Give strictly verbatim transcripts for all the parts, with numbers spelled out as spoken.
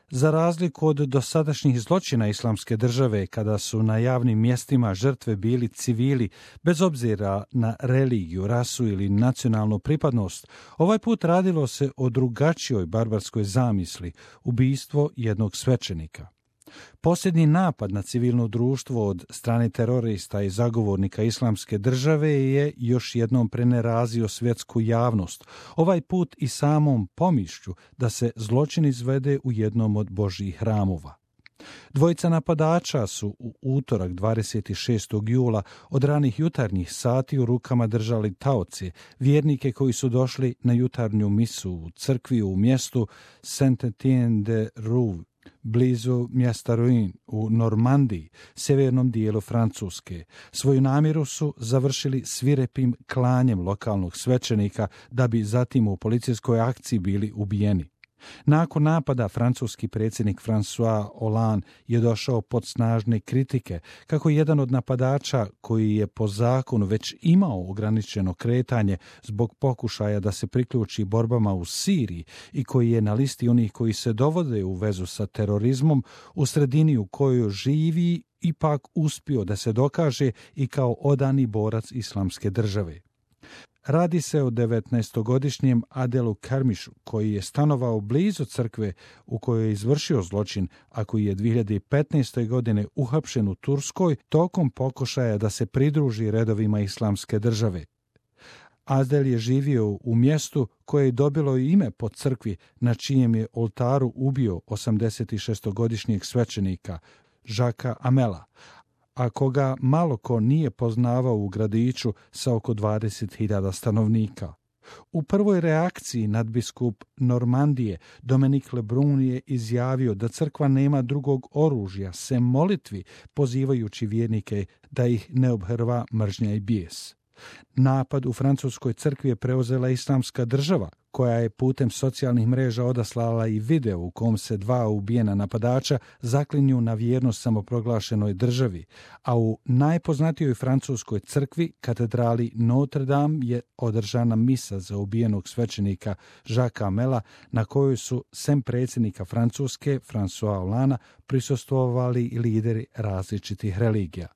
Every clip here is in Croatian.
Za razliku od dosadašnjih zločina Islamske države, kada su na javnim mjestima žrtve bili civili, bez obzira na religiju, rasu ili nacionalnu pripadnost, ovaj put radilo se o drugačijoj barbarskoj zamisli, ubijstvo jednog svećenika. Posljednji napad na civilno društvo od strane terorista i zagovornika Islamske države je još jednom prenerazio svjetsku javnost, ovaj put i samom pomišlju da se zločin izvede u jednom od Božjih hramova. Dvojica napadača su u utorak dvadeset šestog jula od ranih jutarnjih sati u rukama držali taoci, vjernike koji su došli na jutarnju misu u crkvi u mjestu Saint-Étienne-de-Rouve, blizu mjesta Rouen u Normandiji, sjevernom dijelu Francuske. Svoju namjeru su završili svirepim klanjem lokalnog svećenika, da bi zatim u policijskoj akciji bili ubijeni. Nakon napada francuski predsjednik François Hollande je došao pod snažne kritike kako jedan od napadača, koji je po zakonu već imao ograničeno kretanje zbog pokušaja da se priključi borbama u Siriji i koji je na listi onih koji se dovode u vezu sa terorizmom, u sredini u kojoj živi ipak uspio da se dokaže i kao odani borac Islamske države. Radi se o devetnaestogodišnjem Adelu Karmišu, koji je stanovao blizu crkve u kojoj je izvršio zločin, a koji je dvije hiljade petnaeste. godine uhapšen u Turskoj tokom pokušaja da se pridruži redovima Islamske države. Adel je živio u mjestu koje je dobilo ime po crkvi na čijem je oltaru ubio osamdesetšestogodišnjeg svećenika Jacquesa Amela, a koga malo ko nije poznavao u gradiću sa oko dvadeset hiljada stanovnika. U prvoj reakciji nadbiskup Normandije Dominique Lebrun je izjavio da crkva nema drugog oružja sem molitvi, pozivajući vjernike da ih ne obhrva mržnja i bijes. Napad u francuskoj crkvi je preuzela Islamska država, koja je putem socijalnih mreža odaslala i video u kom se dva ubijena napadača zaklinju na vjernost samoproglašenoj državi, a u najpoznatijoj francuskoj crkvi, katedrali Notre Dame, je održana misa za ubijenog svećenika Jacquesa Amela, na kojoj su, sem predsjednika Francuske, François Hollande, prisustvovali lideri različitih religija.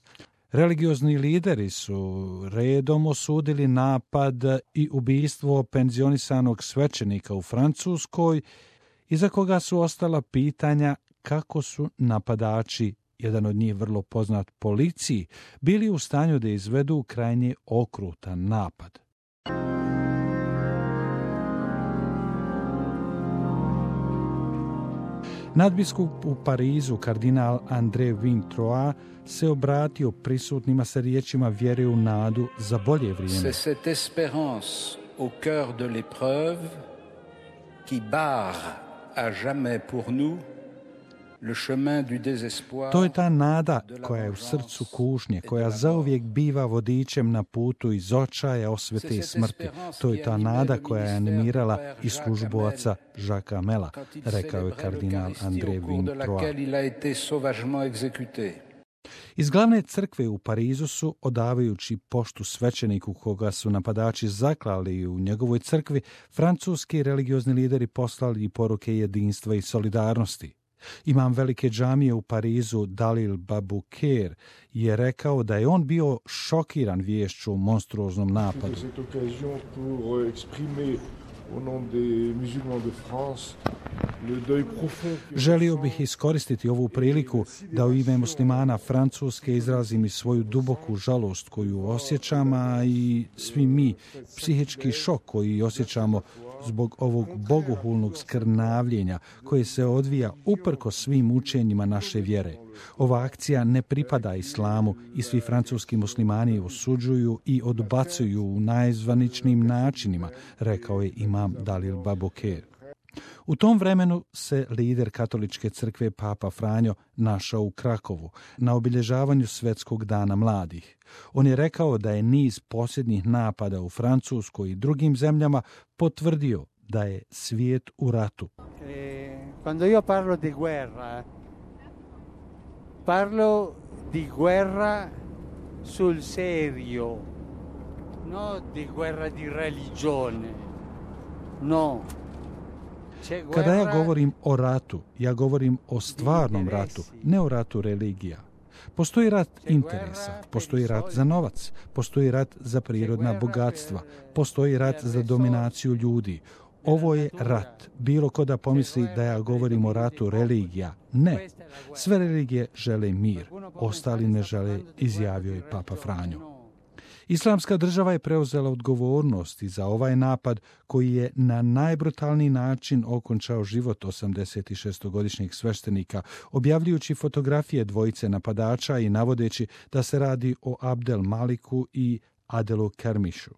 Religiozni lideri su redom osudili napad i ubijstvo penzionisanog svećenika u Francuskoj, iza koga su ostala pitanja kako su napadači, jedan od njih vrlo poznat policiji, bili u stanju da izvedu krajnje okrutan napad. Nadbiskup u Parizu, kardinal André Vintroa, se obratio prisutnima sa riječima vjere u nadu za bolje vrijeme. C'est cette espérance au cœur de l'épreuve qui barre à jamais pour nous le chemin du désespoir. To je ta nada koja je u srcu kušnje, koja zauvijek biva vodičem na putu iz očaja, osvete i smrti. To je ta nada koja je animirala i službu oca Jacquesa Amela, rekao je kardinal André Vintroa. Iz glavne crkve u Parizu su, odavajući poštu svećeniku koga su napadači zaklali u njegovoj crkvi, francuski religiozni lideri poslali poruke jedinstva i solidarnosti. Imam velike džamije u Parizu, Dalil Babouker, je rekao da je on bio šokiran viješću o monstruoznom napadu. Želio bih iskoristiti ovu priliku da u ime muslimana Francuske izrazim i svoju duboku žalost koju osjećam, a i svi mi psihički šok koji osjećamo zbog ovog bogohulnog skrnavljenja koje se odvija uprkos svim učenjima naše vjere. Ova akcija ne pripada islamu i svi francuski muslimani osuđuju i odbacuju u najzvaničnijim načinima, rekao je imam Dalil Babouker. U tom vremenu se lider katoličke crkve Papa Franjo našao u Krakovu na obilježavanju Svjetskog dana mladih. On je rekao da je niz posljednjih napada u Francuskoj i drugim zemljama potvrdio da je svijet u ratu. Quando io parlo di guerra, parlo di guerra sul serio, no di guerra di religione, no. Kada ja govorim o ratu, ja govorim o stvarnom ratu, ne o ratu religija. Postoji rat interesa, postoji rat za novac, postoji rat za prirodna bogatstva, postoji rat za dominaciju ljudi. Ovo je rat. Bilo ko da pomisli da ja govorim o ratu religija. Ne. Sve religije žele mir, ostali ne žele, izjavio je Papa Franjo. Islamska država je preuzela odgovornost i za ovaj napad koji je na najbrutalniji način okončao život osamdesetšestogodišnjeg sveštenika, objavljujući fotografije dvojice napadača i navodeći da se radi o Abdel Maliku i Adelu Kermišu.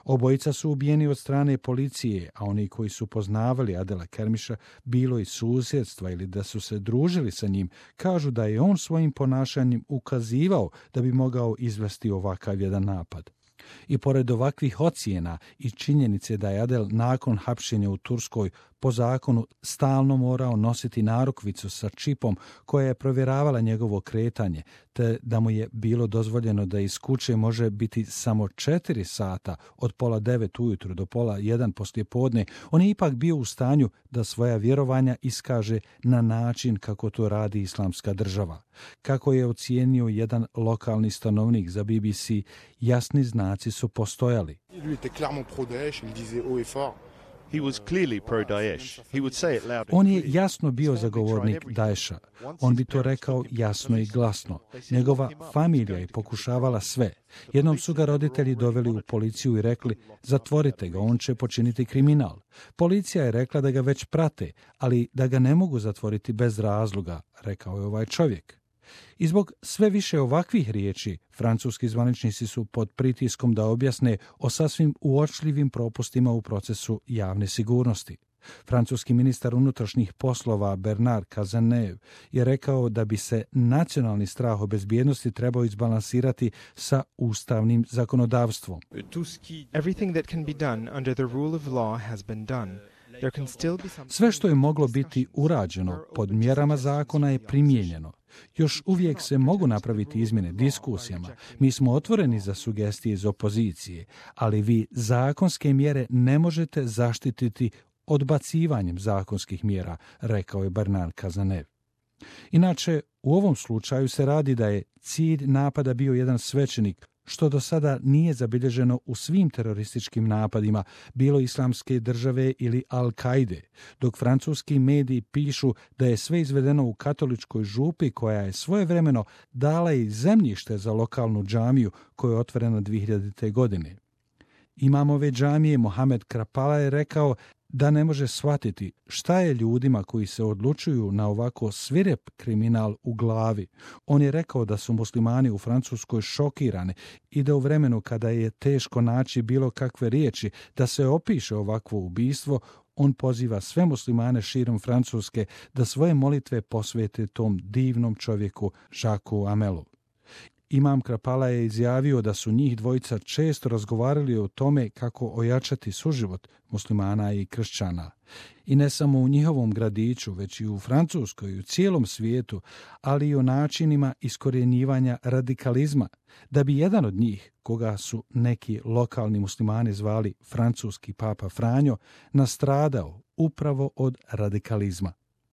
Obojica su ubijeni od strane policije, a oni koji su poznavali Adela Kermiša, bilo iz susjedstva ili da su se družili sa njim, kažu da je on svojim ponašanjem ukazivao da bi mogao izvesti ovakav jedan napad. I pored ovakvih ocjena i činjenice da je Adel nakon hapšenja u Turskoj po zakonu stalno morao nositi narukvicu sa čipom koja je provjeravala njegovo kretanje, te da mu je bilo dozvoljeno da iz kuće može biti samo četiri sata od pola devet ujutru do pola jedan poslijepodne, on je ipak bio u stanju da svoja vjerovanja iskaže na način kako to radi islamska država. Kako je ocijenio jedan lokalni stanovnik za B B C, jasni znaci su postojali. On je jasno bio zagovornik Daesha. On bi to rekao jasno i glasno. Njegova familija je pokušavala sve. Jednom su ga roditelji doveli u policiju i rekli, zatvorite ga, on će počiniti kriminal. Policija je rekla da ga već prate, ali da ga ne mogu zatvoriti bez razloga, rekao je ovaj čovjek. I zbog sve više ovakvih riječi, francuski zvaničnici su pod pritiskom da objasne o sasvim uočljivim propustima u procesu javne sigurnosti. Francuski ministar unutrašnjih poslova Bernard Cazeneuve je rekao da bi se nacionalni strah o bezbjednosti trebao izbalansirati sa ustavnim zakonodavstvom. Everything that can be done under the rule of law has been done. Sve što je moglo biti urađeno pod mjerama zakona je primijenjeno. Još uvijek se mogu napraviti izmjene diskusijama. Mi smo otvoreni za sugestije iz opozicije, ali vi zakonske mjere ne možete zaštititi odbacivanjem zakonskih mjera, rekao je Bernard Cazeneuve. Inače, u ovom slučaju se radi da je cilj napada bio jedan svećenik, što do sada nije zabilježeno u svim terorističkim napadima, bilo Islamske države ili Al-Kaide, dok francuski mediji pišu da je sve izvedeno u katoličkoj župi koja je svojevremeno dala i zemljište za lokalnu džamiju koja je otvorena dvije hiljadite. godine. Imam ove džamije Mohamed Krapala je rekao da ne može shvatiti šta je ljudima koji se odlučuju na ovako svirep kriminal u glavi. On je rekao da su muslimani u Francuskoj šokirani i da u vremenu kada je teško naći bilo kakve riječi da se opiše ovakvo ubistvo, on poziva sve muslimane širom Francuske da svoje molitve posvete tom divnom čovjeku Jacques Amelu. Imam Krapala je izjavio da su njih dvojica često razgovarali o tome kako ojačati suživot muslimana i kršćana. I ne samo u njihovom gradiću, već i u Francuskoj i u cijelom svijetu, ali i o načinima iskorjenjivanja radikalizma, da bi jedan od njih, koga su neki lokalni muslimani zvali francuski papa Franjo, nastradao upravo od radikalizma.